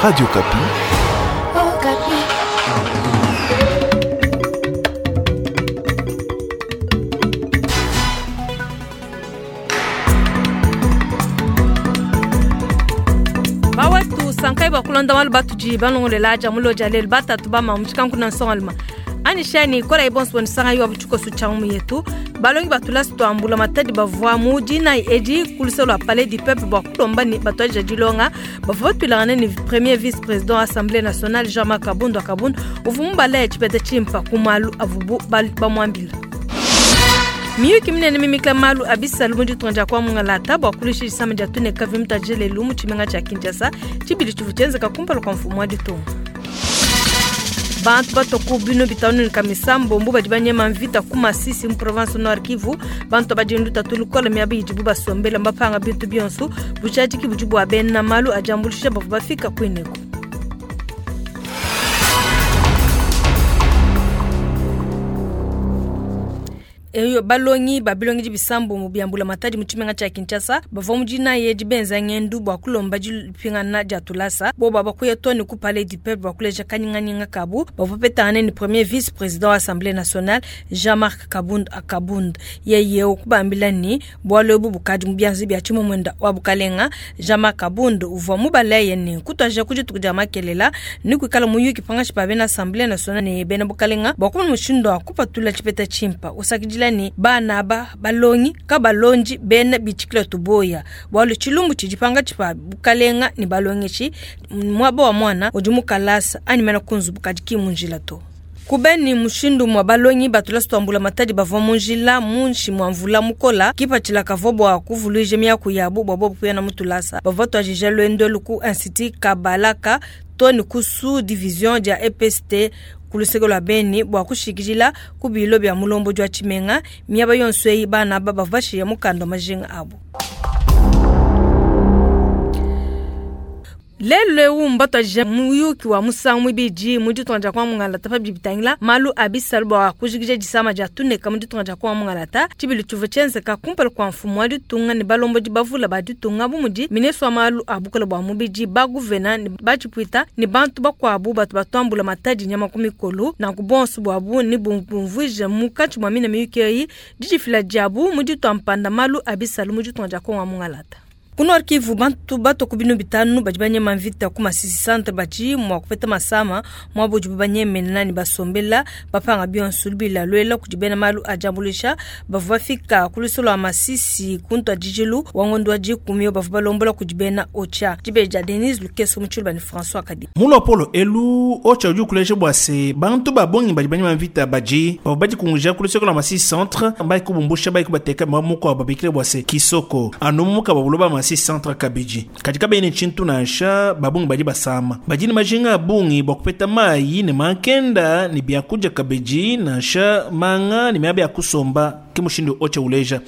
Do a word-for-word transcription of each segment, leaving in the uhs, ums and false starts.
Radio Okapi. Okapi. Bawetu sankai bakulonda malu batudi balongolela dia muloja lelu batatu bama mutshikanku nsongaluma anishani kola ibonso bonisanga yo butuko sutshangu yetu balongi batula twambula matadi bavua mu dina edi kuluse lwa palais du peuple bua kulomba ni batwaja dilonga bavua batwilangana ni premier vice président assemblée nationale Jean-Marc Kabund Kabund uvua mubala tshipeta tshimpa ku malu avubu bamwambila. Miyuki minene mimikila malu abisalu mu ditunga dia kuamungalata bua kulusha disama dia tuneka vimutaje lelu mu tshimenga tshia Kinshasa tshibidi tshivu tshienzeka kumpala kua mfumu wa ditunga. Bantu batoku bino bitanu ni kamisambo mbu badi banyema mvita ku Masisi mu province Nord Kivu bantu badi nduta tulukola miaba idibu basombela mbapanga bintu bionso bujadiki budi bua bena malu ajambulisha bavua bafika kwineko. Eyo balongi babilongi bisambo mu biambula matadi mu tshimenga tshia Kinshasa bavua mu dina ye dibenza ngendu bua kulomba dipingana dia tulasa bo baba kuya toni ku palais du peuple bua kuleja kanyinganyinga kabu bavua petangane ni premier vice président wa assemblée nationale Jean-Marc Kabund Akabund yeye okubambila ni bwalo ebu bukadi mu bianzi bia tshimumunda wa bukalenga Jean-Marc Kabund uvua mubaleye ni kutwaja kudituku dia makelela ni kuikala muyuki pangashi pa bena assemblée nationale ne bena bukalenga bua kumona mushindu wa kupatula tshipeta tshimpa usakidila ni bana ba balongi ka balonji bena bitshikila tuboya bwalu tshilumbu tshidipanga tshipa bukalenga ni balongeshi mwaba wa mwana udi mukalasa ani mena kunzu bukadi kimunjila to. Kubeni mushindu mwa balongi batula swambula matadi bavua munjila munshi mwa mvula mukola kipatshila kavua bua kuvuluija miaku yabu bua bobu kuya na mutulasa bavua twajija lwendo luku institut Kabalaka to ni ku division dia E P S T kuluseke lwa beni bua kushikijila ku bilo bia mulombo jwa tshimenga miaba yonso eyi bana aba bavua bashiya mukanda wa majinga abu. Lelu eu mbatwaje muyuki wa musangu mwibidi mu ditunga dia kwa mungalata pa bibitangila malu abisalu bua kujikija disama dia tuneka mu ditunga dia kwa mungalata tshibili tshivu tshienzeka kumpala kua mfumu wa ditunga ne balombodi bavula ba ditunga bu mudi ministre wa malu a bukole bua mubidi ba guvena ne batshipuita ne bantu bakuabu batu batuambula matadi nyama ku mikolo nanku bonso buabu ne bumvuija munkatshi mua mina miyuki eyi didifila diabu mu ditua mpanda malu abisalu mu ditunga dia kwa mungalata. Ku Nord Kivu bantu batoku binu bitanu badi banyema mvita ku Masisi centre badi mua kupeta masama mua budi banyemena ne basombela bapanga bionso bila lwela kudi bena malu ajambulisha bavua bafika ku lusolo lwa Masisi ku ntwadijilu wa ngondo wa dikumi bavua balombola kudi bena Ocha dibeja Denise Lukeso mu tshiluba ne François Kadi. Mulo Polo elu Ocha udi ukuleja bua se bantu babongi badi banyema mvita badi bavua badikunguja ku lusolo lwa Masisi centre mbai kubumbusha bai kubateka mwamuko babikile bua se kisoko anumuka babuloba Masisi centre kabiji katika bene chintu nansha babungi badi basama badi ni majinga abungi bwa kupeta mayi ne mankenda ni byakuja kabiji nansha manga ni miaba ya kusomba kimushindu Ocha uleja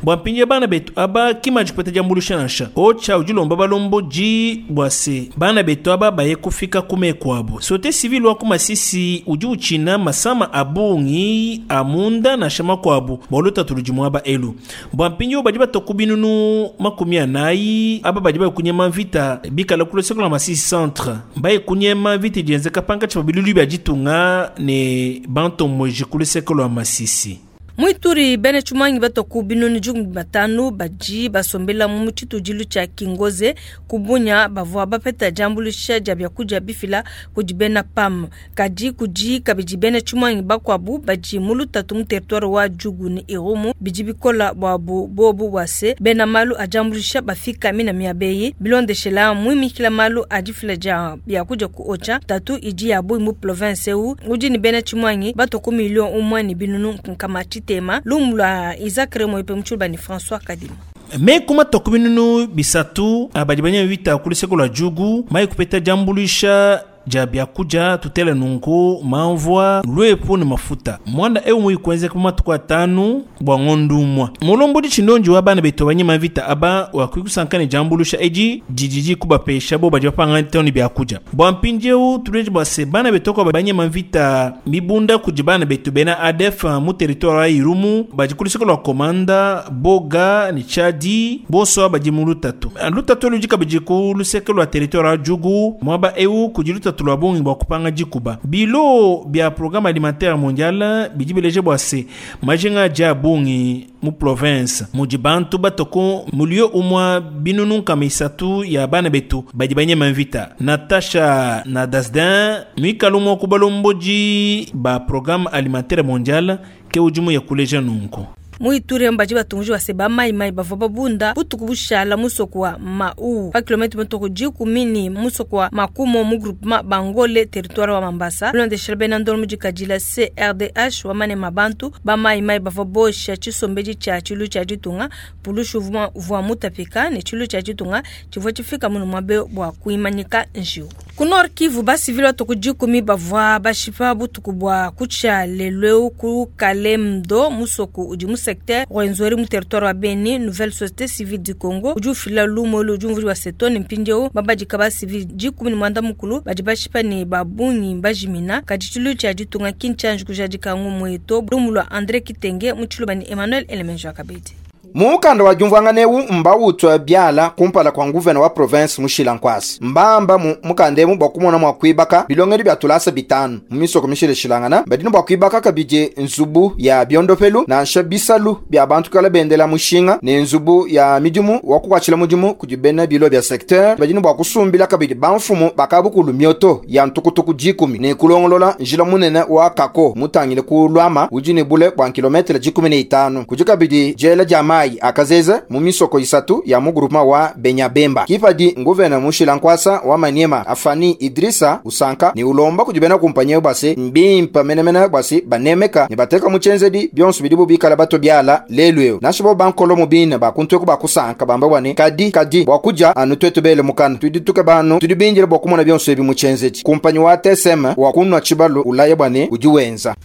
bwa mpinje bana betu aba kimaji kupeta jambulisha nansha Ocha ujilomba balombo ji bwase bana betu aba baye kufika kume kwabo sote civil wa kumasisi uji uchina masama abungi amunda na shama kwabo bolota tulujimwa aba elu bwa mpinje badi batokubinunu makumi anayi aba badi baye kunyema mvita bikala kuloseko la Masisi centre baye kunyema mvita jenzeka panka cha bilulu bya jitunga ne banto moji kuloseko la Masisi. Muituri bene chumangi batoku binoni jugu batanu baji basombela mu tshitudilu tshia Kingoze kubunya bavua bapeta jambulisha dia byakudia bifila kudi bena P A M kadi kudi kabidi bene chumangi bakwabu baji mu lutatu mu territoire wa Djugu ni Irumu bidi bikola bwabu bobu wase bena malu ajambulisha bafika mina miabeyi bilondeshela muimikila malu adifila dia byakudia ku Ocha tatu idi ya bu mu province u udi ni bene chumangi batoku million umwe ni binunu nkama tema lumula Isaac Remo ipe mchulba ni François Kadima. Me kuma tokuminunu bisatu abadi banya vita kuliseko la Djugu mai kupeta jambulisha dia biakudia tutele nunku mamvua lwepu ne mafuta mwanda eu muikwenzeka mu matuku atanu bua ngondu umwa mulombodi tshindonji wa bana betu banyima vita aba wakwikusanka ne jambulusha edi dididi kubapesha bo badi bapanga toni biakudia bua mpindieu tuleje bua se bana betu kwa banyima vita mibunda kudi bana betu bena A D F mu territoire ya Irumu badi kulisoko lwa komanda boga ni chadi boso badi mu lutatu lutatu ludi kabidi ku luseke lwa territoire ya Djugu mwaba eu kudi lutatu lwa bongi bua kupanga dikuba bilo bia programme alimentaire mondial bidi bileje bua se majinga dia bongi mu province mudi bantu batoko mulio umwa binunu nkama isatu ya bana betu badi banyema mvita Natasha na Dasdin mikalumo kubalomboji ba programme alimentaire mondial ke ujumu ya kuleja nunku Muiture mbaji batunji wa seba mai mai bavua babunda butuku bushala musoko wa Mau pa kilomita mutoko jikumi musoko wa Makumo mu groupement Bangole territoire wa Mambasa londeshela bena ndolo mujikajila C R D H wa mane mabantu ba mai mai bavua bosha chisombeji cha chilu cha jitunga pulushu vwa mutapika ne chilu cha jitunga chivua chifika munu mwabe bwa kuimanyika njiu ku Nord Kivu basi vile toko jikumi bavua bashipa butuku bwa kucha leleu ku Kalemdo musoko udi secteur Rwenzori mu territoire wa Beni nouvelle société civile du Congo udi ufila lumo lu udi wa setoni mpindieu babadika ba civile jikumi ni mwanda mukulu badi bashipa ne babungi bajimina kadi tshilu tshia ditunga kinchanji kujadika ngumu eto lumu lwa André Kitenge mu tshiluba ni Emmanuel Elemenjo Akabedi. Mukanda wa jumvwanganeu mbawutwa byala kumpala kwa nguvena wa province mushila nkwasi mbamba mu mukandemu bwakumona mwa kwibaka bilongeli bya tulasa bitanu mu misoko mishile shilangana badino bwa kwibaka kabije nzubu ya biondopelu na nsha bisalu bya bantu kala bendela mushinga ne nzubu ya midimu wakukwachila mudimu kujibena bilo bya secteur badino bwa kusumbila kabidi bamfumu bakabukulu myoto ya ntukutuku jikumi ne kulongolola njila munene wa kako mutangile kulwama ujini bule bwa kilometre jikumi ne itanu kujikabidi jela jamai akazeze mu misoko isatu ya mu groupement wa Benyabemba kipadi nguvena mushila nkwasa wa Maniema Afani Idrisa usanka ni ulomba kujibena kumpanye basi mbimpa menemene basi banemeka ni bateka muchenzedi byonso bidibu bikala bato byala lelweo nashibo bankolo mubina bakuntwe kubakusanka bamba bwane kadi kadi bwakuja anu twetu bele mukana tudituke bano tudibinjira bwakumona byonso ebi muchenzedi kumpanyi wa T S M wakunwa chibalo ulaya bwane ujiwenza.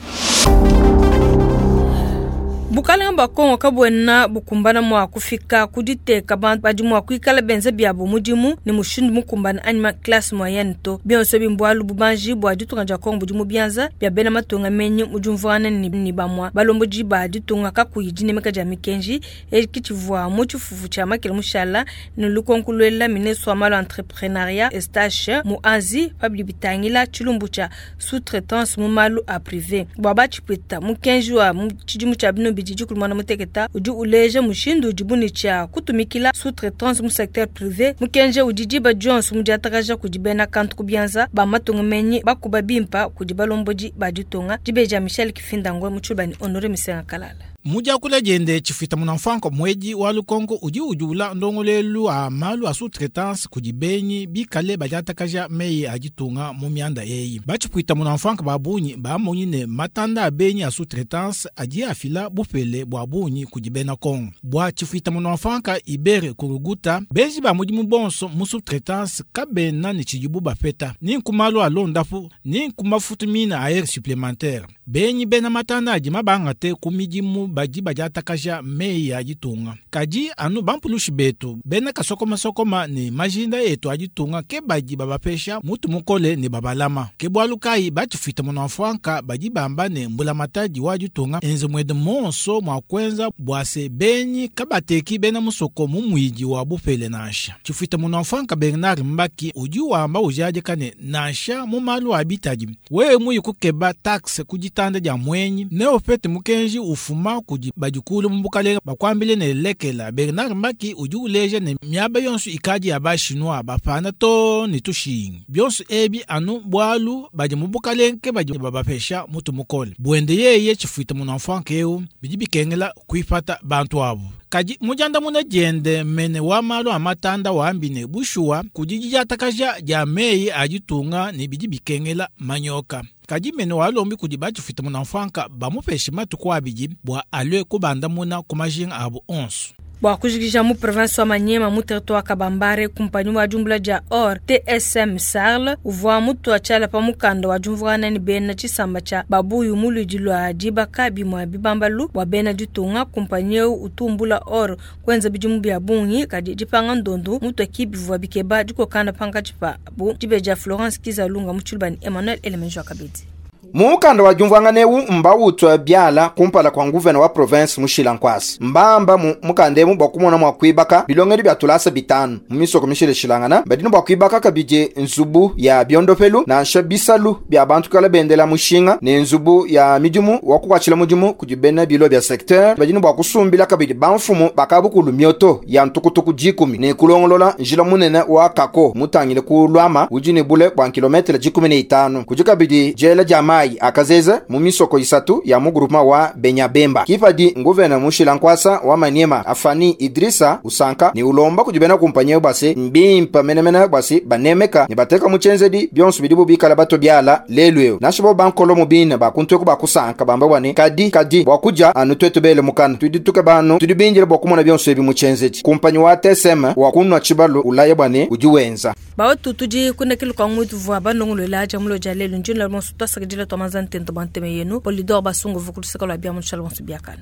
Bukalanga bwa Kongo kabwena bukumbana mwa kufika kuditeka bantu badi mwa kuikala benze byabo mudimu ni mushindu mukumbana anima classe moyenne to bionso bimbwalu bubanji bwa ditunga dia Kongo budi mu bianza bya bena matunga menyi mujumvana ni, ni bamwa balomboji ba ditunga kakuyi dinemeka dia mikenji ekitshivua mu tshifufu tshia makele mushala ni lukonkulwela ministre wa malu entrepreneuriat Eustache Muazi pabidi bitangila tshilumbu tshia sous-traitance mu malu a privé bwa batshipwita mukenji wa tshidimu tshia bino bididi kulumana muteketa udi uleja mushindu udi cha kutumikila sous-traitance mu secteur privé mukenje udi diba Jones mudiatakaja kudi bena kantu kubianza ba matunga menyi bakuba bimpa kudi balomboji ba ditunga dibeja Michel Kifindangwe mu tshibani Honore Misenga Kalala. Mujakula jende chifita munamfanko mweji wa lukongo uji ujula ndongolelu a malu a sous-traitance kujibenyi bikale bajatakaja meyi ajitunga mu mianda eyi. Bachipwita munamfanko babunyi bamonyi ne matanda abenyi a sous-traitance aji afila bupele bwa bunyi kujibena Kongo. Bwa chifita munamfanka ibere kuruguta benji ba mudimu bonso mu sous-traitance kabena ni chijibu bapeta. Ni nkumalu alondapu ni nkumafutu mina air supplémentaire. Benyi bena matanda aji mabangate kumidimu baji bajatakaja meyi ya ditunga. Kaji anu bampulushi betu bena kasokoma sokoma ni majinda etu aditunga ke baji babapesha mutu mukole ni babalama. Ke bwalu kai bachifita munamfwanka baji bamba ne mbula mataji wa ditunga enze mwede monso mwa kwenza bwase benyi kabateki bena musoko mumuiji wa bupele nansha. Chifita munamfwanka Bernard Mbaki uji wamba ujaje kane nansha mumalu abitaji. Wewe muyi kukeba taxe kujitanda ja mwenyi ne ofete mukenji ufuma kudi bajukulu mbukalenga bakwambile ne lekela Bernard Mbaki uji uleje ne miaba yonso ikaji ya bashinwa bapana to ni tushingi byonso ebi anu bwalu baji mubukalenke baji babapesha mutu mukole bwende yeye chifuita munamfwanka eu bidi bikengela kuipata bantu abo. Kaji mujanda muna jende mene wa malu amatanda wambine bushuwa kujijatakaja ja meyi ajitunga ni bidi bikengela manyoka. Kaji mene walombi kudi bachifita munamfwanka bamupeshe matuku abidi bwa alwe kubanda muna kumajinga abo onso. Bua kujikija mu province wa Maniema mu territoire Kabambare, kumpanyi wa diumbula dia or T S M Sarl uvua mutua tshiala pa mukanda wa diumvuangana ne bena tshisamba tshia babuyu mu luidi lua dibaka bimue bibambalu bua bena ditunga. Kumpanyi eu utumbula or kuenza bidimu bia bungi, kadi dipanga ndondu mutua ki bivua bikeba dikokana pankatshi pabu. Dibeja Florence Kizalunga mu tshiluba ne Emmanuel Elemenjo Kabedi. Mukanda wa diumvuangana eu mbawutwa biala kumpala kua nguvena wa province mushila nkwasa. Mbamba mu mukanda emu bua kumona mua kuibaka bilongedi bia tulasa bitanu mu misoko mishilashilangana. Badi ne bua kuibaka kabidi nzubu ya biondopelu nansha bisalu bia bantu kala bendela mushinga ne nzubu ya midimu wa kukwatshila mudimu kudi bena bilo bia secteur. Badi ne bua kusumbila kabidi bamfumu bakabukulu mioto ya ntukutuku dikumi ne kulongolola njila munene wa kako mutangile ku lwama udi ne bule bua kilometre dikumi ne itanu. Kudi kabidi diela dia mayi akazeze mu misoko isatu ya mu groupement wa Benyabemba. Kipadi nguvena mushila nkwasa wa Maniema Afani Idrissa usanka ni ulomba kudi bena kumpanyi bwase mbimpa menemene bwase banemeka ne bateka mu tshenzedi bionso bidibu bikala bato biala lelu eu. Nansha bo bankolo mu bine bakuntweku bakusanka bamba bwane kadi kadi bua kuja anu twetu bele mukana tudi tuke banu tudi binjile bua kumona bionso ebi mu tshenzedi. Kumpanyi wa T S M wa kunwa tshibalu ulaya bwane udi wenza. Bawetu, tudi kunekelu kwa ngwitu vua banongolola dia mulo dia lelu. Njini la monso twasakidila twamanza ntento bwa nteme yenu Polidor Basungu vukuluseka lwa bia mutshala bonso biakana.